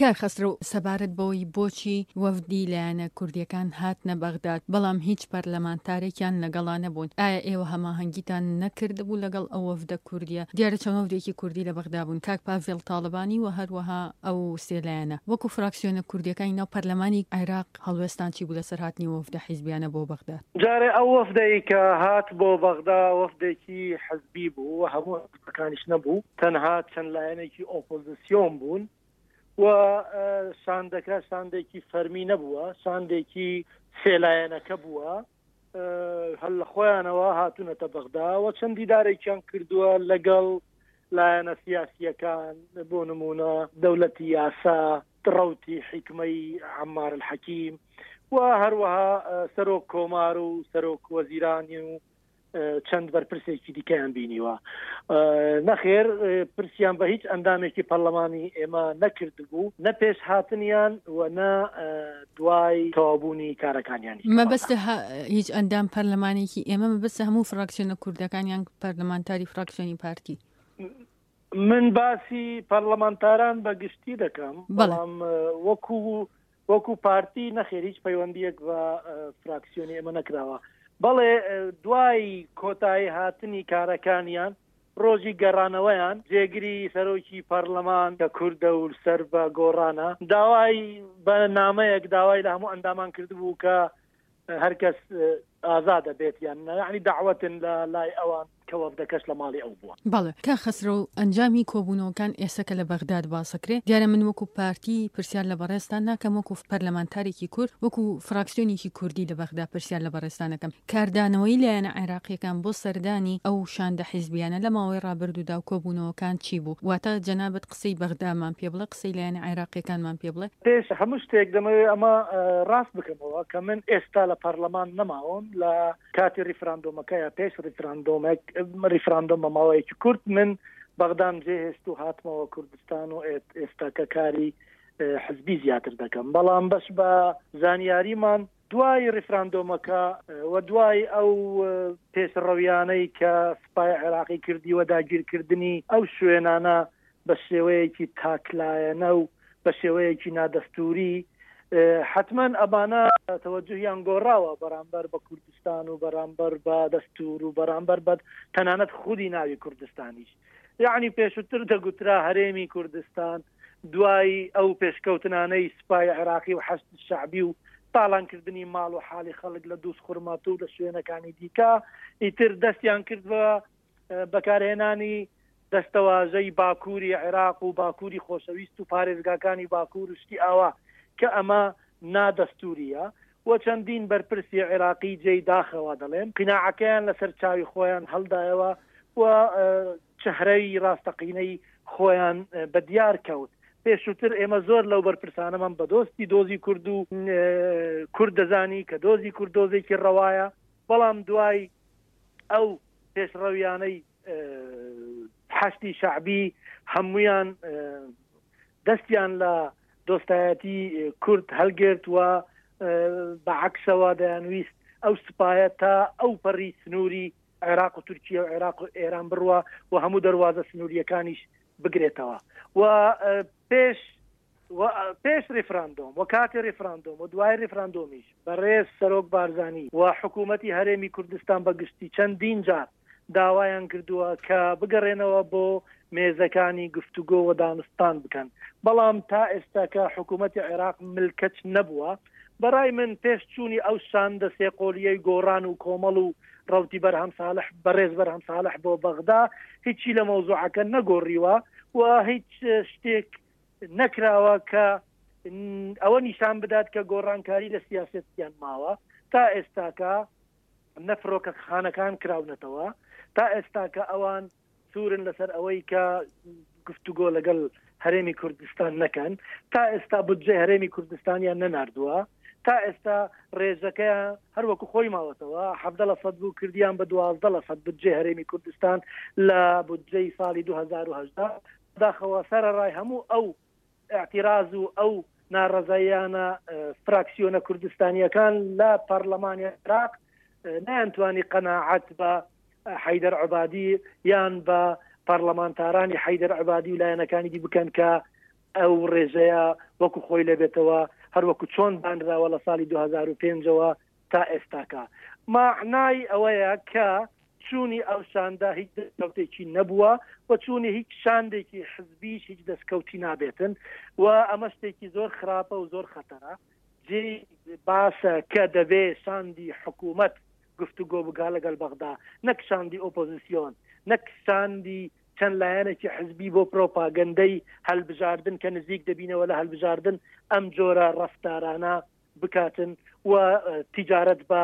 کاک خەسرەو سەبارەت بەوەی بۆچی وەفدی لایەنە کوردیەکان هاتنە بەغداد بەڵام هیچ پەرلەمانتارێکیان لەگەڵا نەبوون ئایا ئێوە هەماهەنگیتان نەکردبوو لەگەڵ ئەو وەفدە کوردیە؟ دیارە چەند وەفدێکی کوردی لە بەغدا بوون کاک پاڤێڵ تاڵەبانی و هەروەها ئەو سێ لایەنە وەکو فراکسیۆنە کوردیەکانی ناو پەرلەمانی عێراق هەڵوێستان چی بوو لەسەر هاتنی وەفدە حیزبیانە بۆ بەغداد؟ جارێ ئەو وەفدەی کە هات بۆ بەغدا وەفدێکی حزبی بوو و هەموو حزبەکانیش نەبوو، تەنها چەند لایەنێکی ئۆپۆزسیۆن بوون و شاندەکە شاندێکی فەرمی نەبووە، شاندێکی سێ لایەنەکە بووە، هەر لە خۆیانەوە هاتوونەتە بەغدا و چەند دیدارێکیان کردووە لەگەڵ لایەنە سیاسییەکان، بۆ نموونە دەولەتی یاسا، ڕەوتی حیکمەی عەمار الحەکیم و هەروەها سەرۆک کۆمار و سەرۆک وەزیرانی و چەند بەرپرسێکی دیکەیان بینیوە. نەخێر پرسیان بە هیچ ئەندامێکی پەرلەمانی ئێمە نەکردبوو، نە پێش هاتنیان و نە دوای تەواوبوونی کارەکانیانیش. مەبەست هیچ ئەندام پەرلەمانێکی ئێمە مەبەست هەموو فراکسیۆنە کوردەکان یان پەرلەمانتاری فراکسیۆنی پارتی؟ من باسی پەرلەمانتاران بە گشتی دەکەم، بەڵام وەکو وەکو پارتی نەخێر هیچ پەیوەندیەک بە فراکسیۆنی ئێمە نەکراوە. بەڵێ دوای کۆتایی هاتنی کارەکانیان ڕۆژی گەڕانەوەیان جێگری سەرۆکی پەڕلەمان کە کوردە و سەر بە گۆڕانە داوای بە نامەیەک داوای لە هەموو ئەندامان کردبوو کە هەرکەس ئازادە بێت یان نا یەعنی دەعوەتن لە لای ئەوان کە وەفدەکەش لە ماڵی ئەو بووە. بەڵێ کاک خەسرەو ئەنجامی کۆبوونەوەکان ئێستا کە لە بەغداد باسەکرێ دیارە من وەکو پارتی پرسیار لە بەڕێزتان ناکەم وەکو پەرلەمانتارێکی کورد وەکو فراکسیۆنێکی کوردی لە بەغدا پرسیار لە بەڕێزتان ئەکەم کاردانەوەی لایەنە عێراقیەکان بۆ سەردانی ئەو شاندە حیزبیانە لە ماوەی ڕابردوودا و کۆبوونەوەکان چی بوو واتە جەنابت قسەی بەغدامان پێ بڵێ قسەی لایەنە عێراقیەکانمان پێ بڵێ. پێش هەموو شتێک دەمەوێت ئەمە ڕاست بکەمەوە کە من ئێستا لە پەرلەمان نەماوم لە کاتی ڕیفراندۆمەکە یا پێش ڕیفراندۆمێک ڕیفراندۆم بە ماوەیەکی کورت من بەغدام جێهێشت و هاتمەوە کوردستان و ئێستاکە کاری حزبی زیاتر دەکەم بەڵام بەش بە زانیاریمان دوای ڕیفراندۆمەکە و دوای ئەو پێشڕەویانەی کە سوپای عێراقی کردی و داگیرکردنی ئەو شوێنانە بە شێوەیەکی تاکلایەنە و بە شێوەیەکی نادەستووری حەتمەن ئەمانە تەوەجوهیان گۆڕاوە بەرامبەر بە کوردستان و بەرامبەر بە دەستور و بەرامبەر بە تەنانەت خودی ناوی کوردستانیش. یەعنی پێشووتر دەگوترا هەرێمی کوردستان دوای ئەو پێشکەوتنانەی سوپای عێراقی و حەشد شەعبی و تاڵانکردنی ماڵ و حاڵی خەڵک لە دووزخورماتوو و لە شوێنەکانی دیکە ئیتر دەستیان کرد بە بەکارهێنانی دەستەواژەی باکووری عێراق و باکووری خۆشەویست و پارێزگاکانی باکوور و شتی ئاوا کە ئەمە نادەستوورییە و چەندین بەرپرسی عێراقی جێی داخەوە دەڵێم قیناعەکەیان لەسەر چاوی خۆیان هەڵدایەوە و چهرەی ڕاستەقینەی خۆیان بە دیار کەوت. پێشووتر ئێمە زۆر لەو بەرپرسانەمان بە دۆستی دۆزی کورد و کورد دەزانی کە دۆزی کورد دۆزێکی ڕەوایە، بەڵام دوای ئەو پێشڕەویانەی حەشدی شەعبی هەموویان دەستیان لە دۆستایەتی کورد هەلگرت و بە عەکسەوە دەیانویست ئەو سوپایە تا ئەو پەڕی سنووری عێراق و تورکیە و عێراق و ئێران بڕوا و هەموو دەروازە سنووریەکانیش بگرێتەوە و پێش و پێش ریفراندۆم و کاتی ریفراندۆم و دوای ریفراندۆمیش بەڕێز سەرۆک بارزانی و حکوومەتی هەرێمی کوردستان بە گشتی چەندین جار داوایان کردووە کە بگەڕێنەوە بۆ مێزەکانی گفتوگۆ و دانوستان بکەن، بەڵام تا ئێستاکە حکوومەتی عێراق ملکەچ نەبووە. بەڕای من پێش چوونی ئەو شاندە سێقۆلییەی گۆڕان و کۆمەڵ و ڕەوتی بەرهەم ساڵح بەڕێز بەرهەم ساڵح بۆ بەغدا هیچی لە مەوزوعەکە نەگۆڕیوە و هیچ شتێک نەکراوە کە ئەوە نیشان بدات کە گۆڕانکاری لە سیاسەتیان ماوە. تا ئێستاکە نە فڕۆکەخانەکان کراونەتەوە، تا ئێستاکە ئەوان سوورن لەسەر ئەوەی کە گفتوگۆ لەگەڵ هەرێمی کوردستان نەکەن، تا ئێستا بودجەی هەرێمی کوردستانیان نەناردووە، تا ئێستا ڕێژەکەیان هەر وەکو خۆی ماوەتەوە، 17 لە سەد بوو کردیان بە 12 لە سەد بودجەی هەرێمی کوردستان لە بودجەی ساڵی 2018، بەداخەوە سەرەڕای هەموو ئەو ئیعتیراز و ئەو ناڕەزاییانە فراکسیۆنە کوردستانییەکان لە پەڕلەمانی عێراق نەیانتوانی قەناعەت بە حەیدەر عەبادی یان بە پەڕلەمانتارانی حەیدەر عەبادی و لایەنەکانی دی بکەن کە. ئەو ڕێژەیە وەکو خۆی لێبێتەوە هەر وەکو چۆن دانراوە لە ساڵی 2005ەوە تا ئێستاکە. مەعنای ئەوەیە کە چوونی ئەو شاندە هیچ دەستکەوتێکی نەبووە و چوونی هیچ شاندێکی حزبیش هیچ دەستکەوتی نابێتن و ئەمە شتێکی زۆر خراپە و زۆر خەتەرە. جێی باسە کە دەبێ شاندی حکوومەت گفتوگۆ بکا لەگەڵ بەغدا نەک شاندی ئۆپۆزیسیۆن، نەک شاندی چەند لایەنێکی حزبی بۆ پرۆپاگەندەی هەلبژاردن کە نزیک دەبینەوە لە هەلبژاردن ئەم جۆرە ڕەفتارانە بکاتن و تیجارەت بە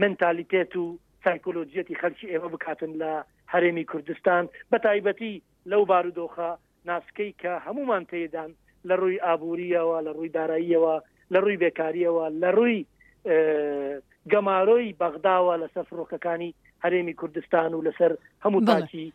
منتالیتێت و سایکۆلۆجیەتی خەلکی ئێمە بکاتن لە هەرێمی کوردستان بە تایبەتی لەو بارودۆخە ناسکەی کە هەمومان تێدان لە ڕووی ئابووریەوە لە ڕووی داراییەوە لە ڕووی بێکاریەوە لە ڕووی گەمارۆی بەغداوە لەسەر فڕۆکەکانی هەرێمی کوردستان و لەسەر هەموو تاکی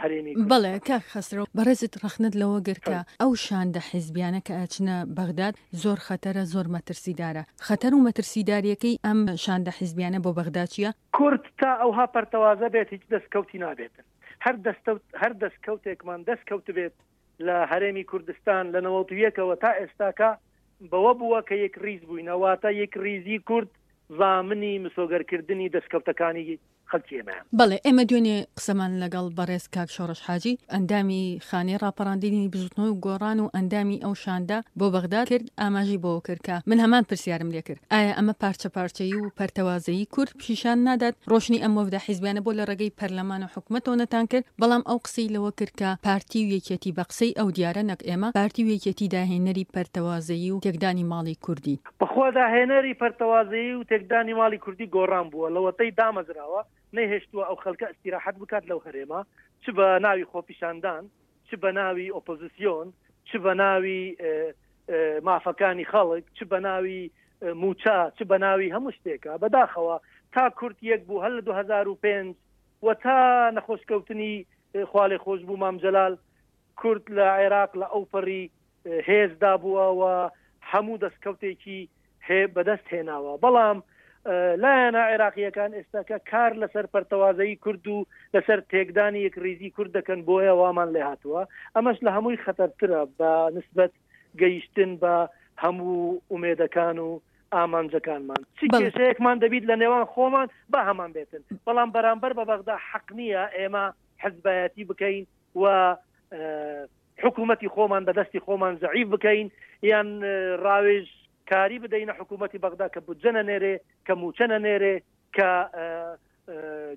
هەرێمی بەڵێ کاک خەسرەو بەڕێزت ڕەخنەت لەوە گرت کە ئەو شاندە حیزبیانە کە ئەچنە بەغداد زۆر خەتەرە زۆر مەترسیدارە خەتەر و مەترسیداریەکەی ئەم شاندە حیزبیانە بۆ بەغدا چیە؟ کورد تا ئەوها پەرتەوازە بێت هیچ دەستکەوتی نابێتن هەر دەستەوت هەر دەستکەوتێکمان دەست کەوتبێت لە هەرێمی کوردستان لە نەوەتویەکەوە تا ئێستاکە بەوە بووە کە یەک ڕیز بووینە واتە یەک ڕیزی کورد زامنی مسۆگەرکردنی دەستکەوتەکانی خەڵکی ئێمەیە. بەڵێ ئێمە دوێنێ قسەمان لەگەڵ بەڕێز کاک شۆڕش حاجی ئەندامی خانەی ڕاپەڕاندنی بزوتنەوەی گۆڕان و ئەندامی ئەو شاندە بۆ بەغداد کرد ئاماژەی بەوە کرد کە من هەمان پرسیارم لێ کرد ئایا ئەمە پارچە پارچەیی و پەرتەوازەیی کورد پیشان نادات ڕۆشنی ئەم وەفدە حیزبیانە بۆ لە ڕێگەی پەرلەمان و حکومەتەوە نەتان کرد بەڵام ئەو قسەی لەوە کرد کە پارتی و یەکێتی بە قسەی ئەو دیارە نەک ئێمە پارتی و یەکێتی داهێنەری پەرتەوازەیی و تێکدانی ماڵی کوردی. بەخوا داهێنەری پەرتەوازەیی و تێکدانی ماڵی کوردی گۆڕان بووە لەوەتەی دامەزراوە نەیهێشتووە ئەو خەلکە ئیستیراحەت بکات لەو هەرێمە چ بە ناوی خۆپیشاندان چ بە ناوی ئۆپۆزیسیۆن چ بە ناوی مافەکانی خەڵک چ بە ناوی موچە چ بە ناوی هەموو شتێکە بەداخەوە تا کورد یەک بوو هەر لە 2005 و تا نەخۆشکەوتنی خوالێ خۆش بوو مام جەلال کورد لە عێراق لە ئەوپەڕی هێزدا بووە و هەموو دەستکەوتێکی هێ بەدەست هێناوە بەڵام لایەنە عێراقییەکان ئێستاکە کار لەسەر پەرتەوازەیی کورد و لەسەر تێکدانی یەکڕیزی کورد دەکەن بۆیە وامان لێ هاتووە ئەمەش لە هەمووی خەتەرترە بە نسبەت گەیشتن بە هەموو ئومێدەکان و ئامانجەکانمان چ کێشەیەکمان دەبیت لە نێوان خۆمان با هەمان بێتن بەڵام بەرامبەر بە بەغدا حەق نییە ئێمە حزبایەتی بکەین و حکوومەتی خۆمان بە دەستی خۆمان زەعیف بکەین یان ڕاوێژ کاری بدەینە حکوومەتی بەغدا کە بودجە نەنێرێ کە مووچە نەنێرێ کە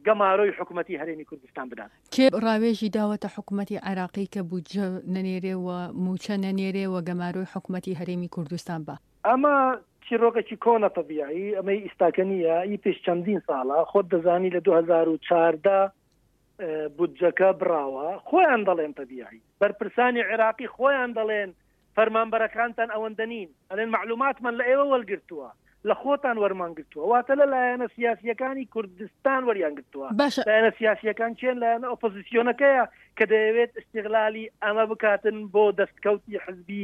گەمارۆی حکوومەتی هەرێمی کوردستان بدات. کێ ڕاوێژی داوەتە حکوومەتی عێراقی کە بودجە نەنێرێ و مووچە نەنێرێ و گەمارۆی حکوومەتی هەرێمی کوردستان با؟ ئەمە چیڕۆکێکی کۆنە تەبیعی ئەمەی ئیستاکە نییە ئی پێش چەندین ساڵە خۆت دەزانی لە 2014 بودجەکە بڕاوە خۆیان دەڵێن تەبیعی بەرپرسانی عێراقی خۆیان دەڵێن فەرمانبەرەکانتان ئەوەندە نین ئەلێن معلوماتمان لە ئێوە وەرگرتووە لە خۆتان وەرمان گرتووە واتە لە لایەنە سیاسیەکانی کوردستان وەریان گرتووە باشە لایەنە سیاسیەکان چێن لایەنە ئۆپۆزیسیۆنەکەیە کە دەیەوێت استغلالی ئەمە بکاتن بۆ دەستکەوتی حزبی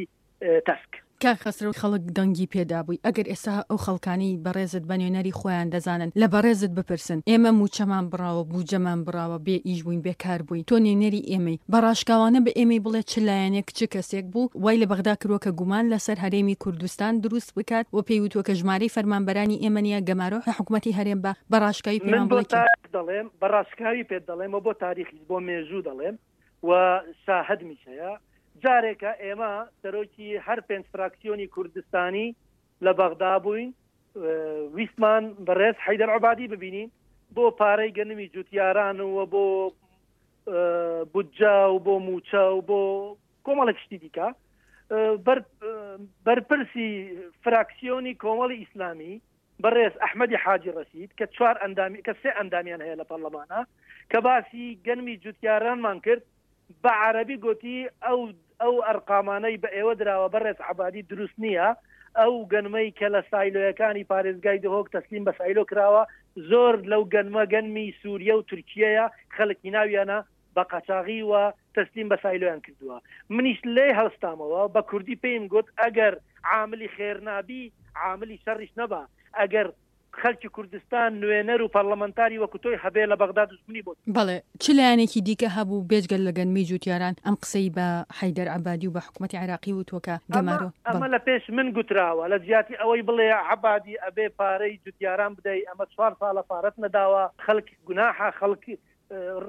تەسک. کاک خەسرەو خەڵک دەنگی پێ دابووی ئەگەر ئێستا ئەو خەڵکانەی بەڕێزت بە نوێنەری خۆیان دەزانن لە بەڕێزت بپرسن ئێمە مووچەمان بڕاوە بوجەمان بڕاوە بێ ئیش بووین بێ کار بووین تۆ نوێنەری ئێمەی بە ڕاشکاوانە بە ئێمەی بڵێ چ لایەنێک چ کەسێک بوو وای لە بەغدا کرووە کە گومان لەسەر هەرێمی کوردستان دروست بکات و پێی وتووە کە ژمارەی فەرمانبەرانی ئێمە نییە گەمارۆ حکومەتی هەرێم بە بە ڕاشکاوی من پێمان بۆ بڵێ کێ. تاریخ دەڵێم بە ڕاشکاوی پێت دەڵێم و بۆ تاریخیش بۆ مێژوو دەڵێم و شاهدمیش هەیە جارێکە ئێمە سەرۆکی هەر پێنج فراکسیۆنی کوردستانی لە بەغدا بووین ویستمان بەڕێز حەیدەر عبادی ببینین بۆ پارەی گەنمی جوتیاران و بۆ بودجە و بۆ موچە و بۆ کۆمەڵێک شتی دیکە بەرپرسی فراکسیۆنی کۆمەڵی ئیسلامی بەڕێز ئەحمەدی حاجی ڕەشید کە چوار ئەندامی کە سێ ئەندامیان هەیە لە پەڕلەمانا کە باسی گەنمی جوتیارانمان کرد بە عەرەبی گۆتی ئەو ئەو ئەرقامانەی بە ئێوە دراوە بەڕێز عەبادی دروست نییە ئەو گەنمەی کە لە سایلۆیەکانی پارێزگای دهۆک تەسلیم بە سایلۆ کراوە زۆر لەو گەنمە گەنمی سوریە و تورکیەیە خەلکی ناویانە بە قاچاغی و تەسلیم بە سایلۆیان کردووە منیش لێی هەڵستامەوە بە کوردی پێیم گوت ئەگەر عاملی خێر نابی عاملی شەڕیش نەبە ئەگەر. خەلکی کوردستان نوێنەر و پەڕلەمەنتاری وەکو تۆی هەبێ لە بەغدا دوژمنی بۆ. بەڵێ چ لایەنێکی دیکە هەبوو بێجگە لە گەنمی جوتیاران ئەم قسەی بە حەیدەر عەبادی و بە حکومەتی عێراقی وتووە کە ئەمە گەمارۆ ئەمە بەڵێ. لە پێش من گوتراوە لە جیاتی ئەوەی بڵێ عەبادی ئەبێ پارەی جوتیاران بدەی ئەمە چوار ساڵە پارەت نەداوە خەلک گوناحە خەڵک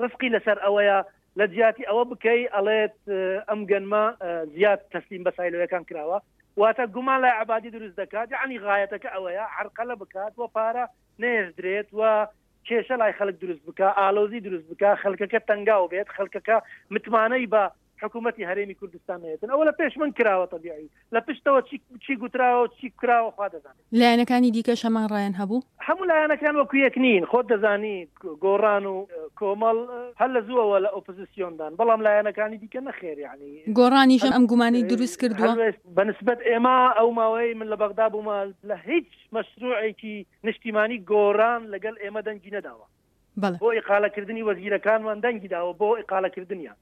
ڕزقی لەسەر ئەوەیە لە جیاتی ئەوە بکەی ئەڵێت ئەم گەنمە زیاد تەسلیم بە سایلۆیەکان کراوە واتە گومان لای عەبادی دروست دەکات یعنی غایەتەکە ئەوەیە عەرقەلە بکات و پارە نەهێژدرێت و کێشە لای خەڵک دروست بکە ئالۆزی دروست بکە خەڵکەکە تەنگاو بێت خەڵکەکە متمانەی بە حکوومەتی هەرێمی کوردستان نێتن ئەوە لە پێش من کراوە تەبیعی لە پشتەوە چی چی گوتراوە و چی کراوە خوا دەزانێت. لایەنەکانی دیکەش هەمان ڕایان هەبوو؟ هەموو لایەنەکان وەکو یەک نین، خۆت دەزانی گۆڕان و کۆمەڵ هەر لە زووەوە لە ئۆپزسیۆندان، بەڵام لایەنەکانی دیکە نەخێر یانی. گۆڕانیش ئەم گومانەی دروست کردووە؟ هەڵوێست بە نسبەت ئێمە ئەو ماوەیەی من لە بەغدا بوومە لە هیچ مەشروعێکی نیشتیمانی گۆڕان لەگەڵ ئێمە دەنگی نەداوە. بەڵێ. بۆ ئیقالەکردنی وەزیرەکانمان دەنگی داوە بۆ ئیقالەکردنیان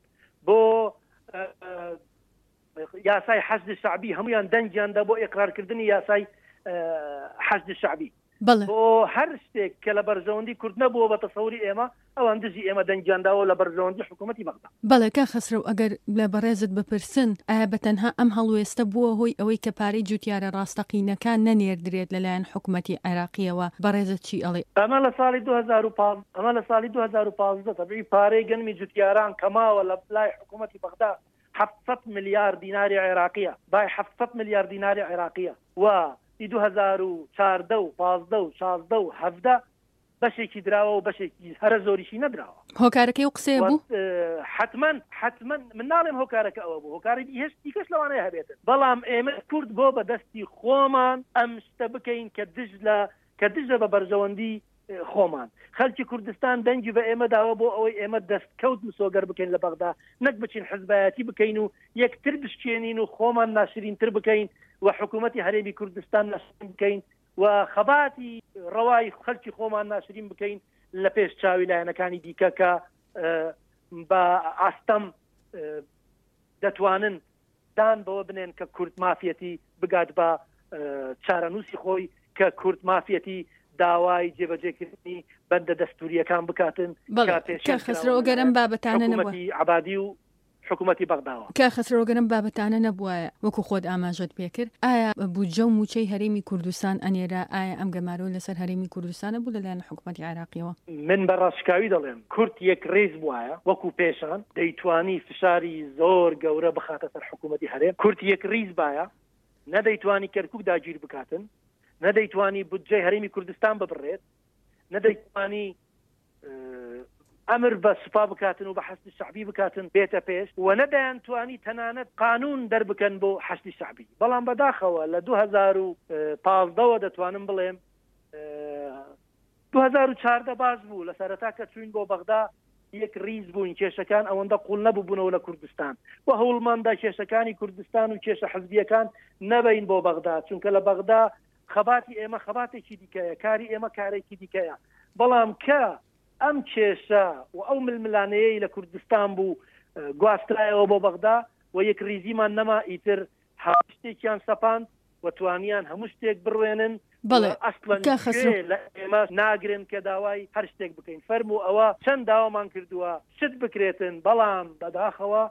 بۆ یاسای حەشدی شەعبی هەموویان دەنگیان دا بۆ ئیقرارکردنی یاسای حەشدی شەعبی. بەڵێ. بۆ هەر شتێک کە لە بەرژەوەندی کورد نەبووە بە تەسەوری ئێمە ئەوان دژی ئێمە دەنگیان داوە لە بەرژەوەندی حکوومەتی بەغدا. بەڵێ کاک خەسرەو ئەگەر لە بەڕێزت بپرسن ئایا بە تەنها ئەم هەڵوێستە بووە هۆی ئەوەی کە پارەی جوتیارە ڕاستەقینەکان نەنێردرێت لەلایەن حکومەتی عێراقیەوە بەڕێزت چی ئەڵێی؟ ئەمە لە ساڵی 2015 ئەمە لە ساڵی 2015 تەبعی پارەی گەنمی جوتیاران کە ماوە لە لای حکوومەتی بەغدا 700 ملیار دیناری عێراقیە بای 700 ملیار دیناری عێراقیە و ئی 2014 و 15 و 16 و 17 بەشێکی دراوە و بەشێکی هەرە زۆریشی نەدراوە. هۆکارەکەی ئەو قسەیە بوو؟ حەتمەن حەتمەن من ناڵێم هۆکارەکە ئەوە بوو هۆکاری هێشت دیکەش لەوانەیە هەبێتن بەڵام ئێمە کورد بۆ بە دەستی خۆمان ئەم شتە بکەین کە دژ لە کە دژە بە بەرژەوەندی خۆمان خەلکی کوردستان دەنگی بە ئێمە داوە بۆ ئەوەی ئێمە دەستکەوت مسۆگەر بکەین لە بەغدا نەک بچین حزبایەتی بکەین و یەکتر بشکێنین و خۆمان ناشرینتر بکەین و حکوومەتی هەرێمی کوردستان ناشرین بکەین و خەباتی ڕەوای خەلکی خۆمان ناشرین بکەین لە پێش چاوی لایەنەکانی دیکە کە بە ئاستەم دەتوانن دان بەوە بنێن کە کورد مافیەتی بگات بە چارەنووسی خۆی کە کورد مافیەتی داوای جێبەجێکردنی بەندە دەستوریەکان بکاتن کە خەسرەوە گەرم بابەتانە نەبوو عبادی و حکومەتی بەغداوە. کاک خەسرەو گەر ئەم بابەتانە نەبوایە وەکو خۆت ئاماژەت پێکرد ئایا بودجە و موچەی هەرێمی کوردستان ئەنێرا ئایا ئەم گەمارۆ لەسەر هەرێمی کوردستانە بوو لەلایەن حکومەتی عێراقیەوە؟ من بە ڕاشکاوی دەڵێم کورد یەکڕیز بوایە وەکو پێشان دەیتوانی فشاری زۆر گەورە بخاتە سەر حکومەتی هەرێم کورد یەکڕیز بایە نە دەیتوانی کەرکوک داگیر بکاتن نە دەیتوانی بودجەی هەرێمی کوردستان ببڕێت نە دەیتوانی ئەمر بە سوپا بکاتن و بە حەشدی شەعبی بکاتن بێتە پێش و نە دەیانتوانی تەنانەت قانوون دەربکەن بۆ حەشدی شەعبی بەڵام بەداخەوە لە 2015 وە دەتوانم بڵێم 2014 باش بوو لە سەرەتا کە چوین بۆ بەغدا یەک ریز بووین کێشەکان ئەوەندە قوڵ نەبووبوونەوە لە کوردستان و هەوڵماندا کێشەکانی کوردستان و کێشە حزبیەکان نەبین بۆ بەغدا چونکە لە بەغدا خەباتی ئێمە خەباتێکی دیکەیە، کاری ئێمە کارێکی دیکەیە، بەڵام کە ئەم کێشە و ئەو ململانێیەی لە کوردستان بوو گواسترایەوە بۆ بەغدا و یەکڕیزیمان نەما، ئیتر هەموو شتێکیان سەپاند و توانیان هەموو شتێک بڕوێنن و بەڵێ ئەسڵەن کاک خەسرەو. گوێ لە ئێمە ناگرن کە داوای هەر شتێک بکەین. فەرموو ئەوە چەند داوامان کردووە شت بکرێتن، بەڵام بەداخەوە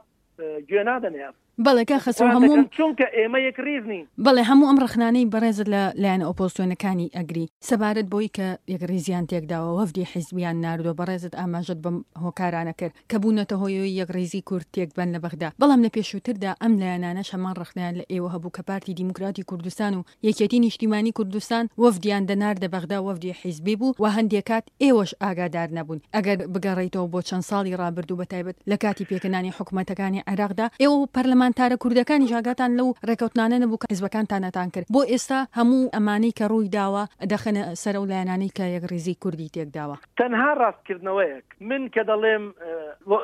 گوێ نادەنێ ئەم. بەڵێ کاک خەسرەو هەموو ئەم. چونکە ئێمە یەکڕیز نین. بەڵێ هەموو ئەم ڕەخنانەی بەڕێزت لە لایەنە ئۆپۆزسیۆنەکانی ئەگری سەبارەت بەوەی کە یەکڕیزیان تێکداوە وەفدی حیزبیان ناردوە بەڕێزت ئاماژەت بەم هۆکارانە کرد کە بوونەتە هۆی ئەوەی یەکڕیزی کورد تێکبەن لە بەغدا بەڵام لە پێشووتردا ئەم لایەنانەش هەمان ڕەخنەیان لە ئێوە هەبوو کە پارتی دیموکراتی کوردستان و یەکێتی نیشتیمانی کوردستان وەفدیان دەناردە بەغدا وەفدی حیزبی بوو و هەندێ کات ئێوەش ئاگادار نەبوون ئەگەر بگەڕێیتەوە بۆ چەند ساڵی ڕابردوو بەتایبەت لە کاتی پێکهێنانی حکومەتەکانی عێراقدا ئێوە و پەرلەمانتارە کوردەکانیش ئاگاتان لەو ڕێکەوتنانە نەبوو کە حیزبەکانتانتان کرد بۆ ئێستا هەموو ئەمانەی کە ڕووی داوە دەخەنە سەر ئەو لایەنانەی کە یەکڕیزی کوردی تێکداوە. تەنها ڕاستکردنەوەیەک، من کە دەڵێم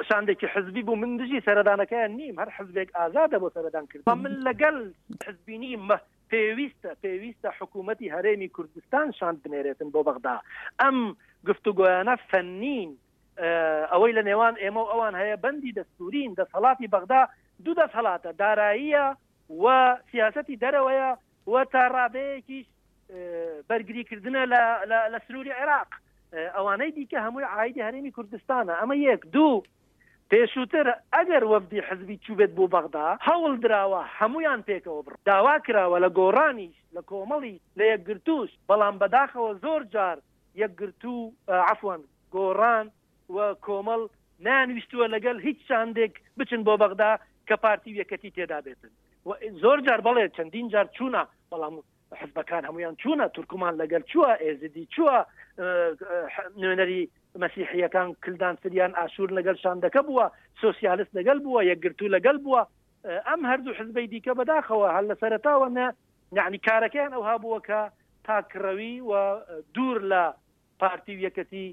شاندێکی حزبی بوو من دژی سەردانەکەیان نیم، هەر حزبێک ئازادە بۆ سەردان کردن، من لەگەل حزبی نیم، پێویستە پێویستە حکوومەتی هەرێمی کوردستان شاند بنێرێتن بۆ بەغدا، ئەم گفتوگۆیانە فەنین، ئەوەی لە نێوان ئێمە و ئەوان هەیە بەندی دەستوورین، دەسەڵاتی بەغدا دوو دەسەڵاتە، داراییە و سیاسەتی دەرەوەیە و تا ڕادەیەکیش. بەرگری کردنە لە سنووری عێراق، ئەوانەی دیکە هەمووی عایدی هەرێمی کوردستانە. ئەمە یەک. دوو، پێشووتر ئەگەر وەفدی حزبی چووبێت بۆ بەغدا، هەوڵ دراوە هەموویان پێکەوە بڕۆن. داوا کراوە لە گۆڕانیش، لە کۆمەڵیش، لە یەکگرتووش، بەڵام بەداخەوە زۆر جار یەکگرتوو، عەفوەن گۆڕان و کۆمەڵ نەیانویستووە لەگەڵ هیچ شاندێک بچن بۆ بەغدا کە پارتی و یەکەتی تێدا بێتن. و زۆر جار بەڵێ چەندین جار چوونە، بەڵام حزبەکان هەمویان چوونە، تورکمان لەگەل چووە، ئێزدی چووە، نوێنەری مەسیحیەکان کلدان سریان ئاشور لەگەل شاندەکە بووە، سۆسیالست لەگەل بووە، یەکگرتوو لەگەل بووە. ئەم هەردوو حزبەی دیکە بەداخەوە هەر لە سەرەتاوە نە یعنی کارەکەیان ئەوها بووە کە تاکڕەوی و دوور لە پارتی و یەکەتی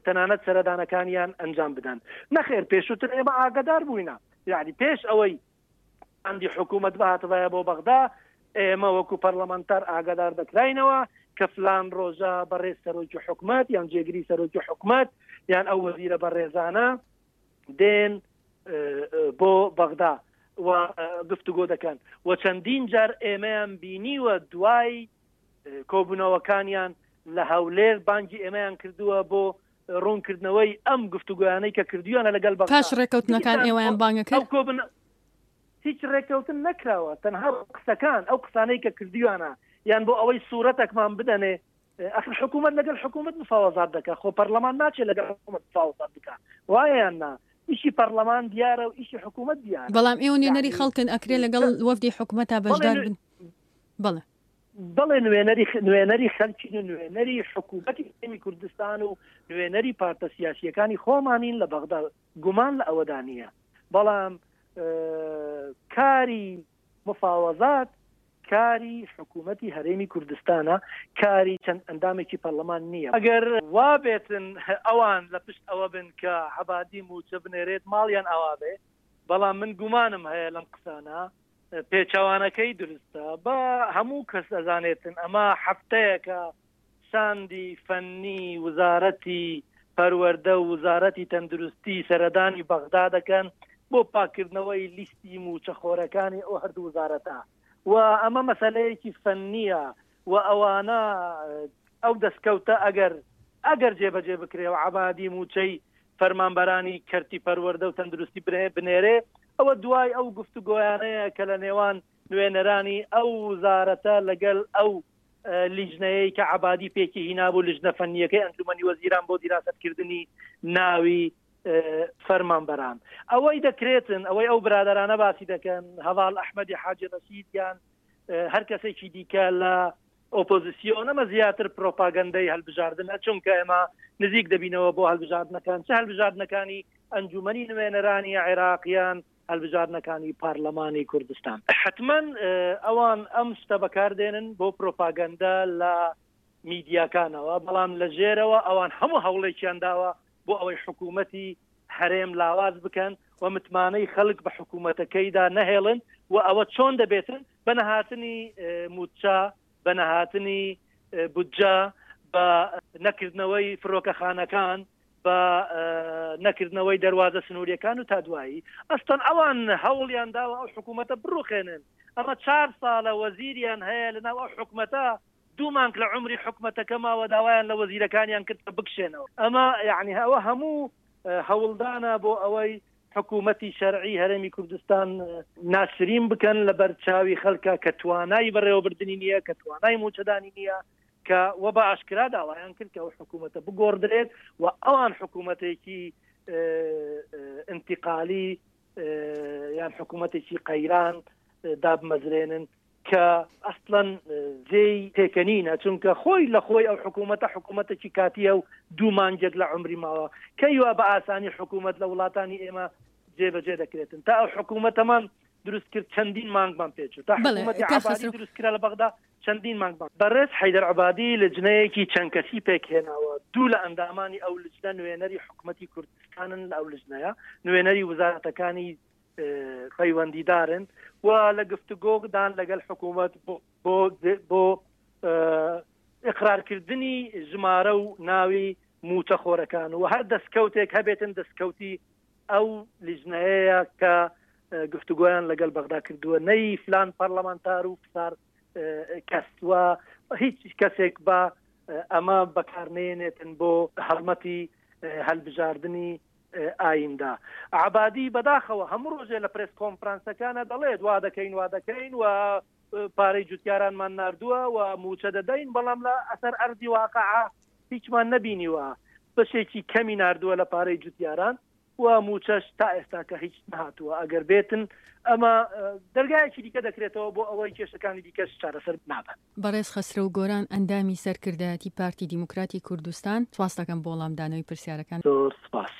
تەنانەت سەردانەکانیان ئەنجام بدەن. نەخێر پێشووتر ئێمە ئاگادار بووینە، یعنی پێش ئەوەی ئەندی حکوومەت بهاتبایە بۆ بەغدا، ئێمە وەکو پەرلەمانتار ئاگادار دەکراینەوە کە فلان ڕۆژە بەڕێز سەرۆکی حکومەت یان جێگری سەرۆکی حکومەت یان ئەو وەزیرە بەڕێزانە دێن بۆ بەغدا و گفتوگۆ دەکەن و چەندین جار ئێمەیان بینیوە دوای کۆبوونەوەکانیان لە هەولێر بانگی ئێمەیان کردووە بۆ ڕوونکردنەوەی ئەم گفتوگۆیانەی کە کردویانە لەگەڵ بەغدا. پاش ڕێکەوتنەکان ئێوەیان بانگە کرد؟ هیچ ڕێکەوتن نەکراوە، تەنها قسەکان، ئەو قسانەی کە کردویانە یان بۆ ئەوەی سوورەتەکمان بدەنێ. ئەخر حکوومەت لەگەڵ حکوومەت مفاوەزات دەکا، خۆ پەرلەمان ناچێت لەگەڵ حکوومەت مفاوەزات بکا، وایە یان نا؟ ئیشی پەرلەمان دیارە و ئیشی حکوومەت دیارە. بەڵام ئێوە نوێنەری خەڵکن، ئەکرێ لەگەڵ وەفدی حکوومەتا بەشدار بن؟ بەڵێ. بەڵێ نوێنەری نوێنەری خەلکین و نوێنەری حکوومەتی هەرێمی کوردستان و نوێنەری پارتە سیاسییەکانی خۆمانین لە بەغدا، گومان لە ئەوەدا نییە، بەڵام کاری مفاوەزات کاری حکوومەتی هەرێمی کوردستانە، کاری چەند ئەندامێکی پەرلەمان نییە. ئەگەر وا بێتن ئەوان لە پشت ئەوە بن کە عەبادی مووچە بنێرێت ماڵیان ئاوا بێ، بەڵام من گومانم هەیە لەم قسانە، پێچەوانەکەی دروستە با هەموو کەس ئەزانێتن ئەمە هەفتەیەکە شاندی فەنی وزارەتی پەروەردە و وزارەتی تەندروستی سەردانی بەغدا دەکەن بۆ پاکردنەوەی لیستی موچەخۆرەکانی ئەو هەردوو وزارەتە و ئەمە مەسەلەیەکی فەنیە و ئەوانە ئەو دەستکەوتە ئەگەر ئەگەر جێبەجێ بکرێ و عەبادی مووچەی فەرمانبەرانی کەرتی پەروەردە و تەندروستی بنێرێ، ئەوە دوای ئەو گفتوگۆیانەیە کە لە نێوان نوێنەرانی ئەو وزارەتە لەگەل ئەو لیژنەیەی کە عەبادی پێکی هینابوو، لیژنە فەنییەکەی ئەنجومەنی وەزیران بۆ دیراسەتکردنی ناوی فەرمانبەران. ئەوەی دەکرێتن، ئەوەی ئەو برادەرانە باسی دەکەن، هەڤاڵ ئەحمەدی حاجی ڕەشید یان هەر کەسێکی دیکە لە ئۆپۆزیسیۆن، ئەمە زیاتر پرۆپاگەندەی هەلبژاردنە، چونکە ئێمە نزیک دەبینەوە بۆ هەلبژاردنەکان، چ هەلبژاردنەکانی ئەنجومەنی نوێنەرانی عێراق یان هەلبژاردنەکانی پارلەمانی کوردستان. حەتمەن ئەوان ئەم شتە بەکاردێنن بۆ پرۆپاگەندە لە میدیاکانەوە، بەڵام لە ژێرەوە ئەوان هەموو هەوڵێکیان داوە بۆ ئەوەی حکوومەتی هەرێم لاواز بکەن و متمانەی خەڵک بە حکوومەتەکەیدا نەهێڵن و ئەوە چۆن دەبێتن؟ بە نەهاتنی مووچە، بە نەهاتنی بودجە، بە نەکردنەوەی فرۆکەخانەکان، بە نەکردنەوەی دەروازە سنووریەکان و تا دوایی. ئەستەن ئەوان هەوڵیان داوە ئەو حکوومەتە بڕوخێنن. ئەمە چار ساڵە وەزیریان هەیە لەناو ئەو حکومەتە، دوو مانگ لە عومری حکومەتەکە ماوە داوایان لە وەزیرەکانیان کرد کە بکشێنەوە. ئەمە یەعنی ئەوە هەموو هەوڵدانە بۆ ئەوەی حکومەتی شەرعی هەرێمی کوردستان ناسرین بکەن لە بەر چاوی خەلکا کە توانای بەڕێوەبردنی نییە، کە توانای مووچەدانی نییە، کە وە بە ئاشکرا داوایان کرد کە ئەو حکوومەتە بگۆڕدرێت و ئەوان حکوومەتێکی ئینتیقالی یان حکوومەتێکی قەیران دابمەزرێنن. کە ئەسڵەن جێی پێکەنینە، چونکە خۆی لە خۆی ئەو حکوومەتە حکوومەتێکی کاتییە و دوو مانگێک لە عومری ماوە، کەی وا بە ئاسانی حکوومەت لە وڵاتانی ئێمە جێبەجێ دەکرێتن؟ تا ئەو حکوومەتەمان دروست کرد چەندین مانگمان پێچوو، تا حکوومەتی عەبادی دروست کرا لە بەغدا چەندین مانگمان. بەڕێز حەیدەر عەبادی لجنەیەکی چەند کەسی پێکهێناوە، دوو لە ئەندامانی ئەو لجنە نوێنەری حکومەتی کوردستانن لە ئەو لجنەیە، نوێنەری وزارەتەکانی پەیوەندیدارن و لە گفتوگۆدان لەگەل حکوومەت بۆ بۆ ئقرارکردنی ژمارە و ناوی موچەخۆرەکان و هەر دەستکەوتێک هەبێتن دەستکەوتی ئەو لیژنەیە کە گفتوگۆیان لەگەل بەغدا کردووە نەی فلان پەرلەمانتار و فسار. کەس و هیچ کەسێک بە ئەمە بەکارنێنێتن بۆ هەڵمەتی هەلبژاردنی ئایندە. عەبادی بەداخەوە هەموو ڕۆژێ لە پرێس کۆنفرانسەکانە دەڵێت وا دەکەین وا دەکەین و پارەی جوتیارانمان ناردووە و مووچە دەدەین، بەڵام لە ئەسەر ئەرزی واقع هیچمان نەبینیوە، بەشێکی کەمی ناردووە لە پارەی جوتیاران و مووچەش تا ئێستاکە هیچ نەهاتووە، ئەگەر بێتن ئەمە دەرگایەکی دیکە دەکرێتەوە بۆ ئەوەی کێشەکانی دیکەش چارەسەر نابن. بەڕێز خەسرەو گۆران ئەندامی سەرکردایەتی پارتی دیموکراتی کوردستان سوپاست دەکەم بۆ وەڵامدانەوەی پرسیارەکان. زۆر سوپاس.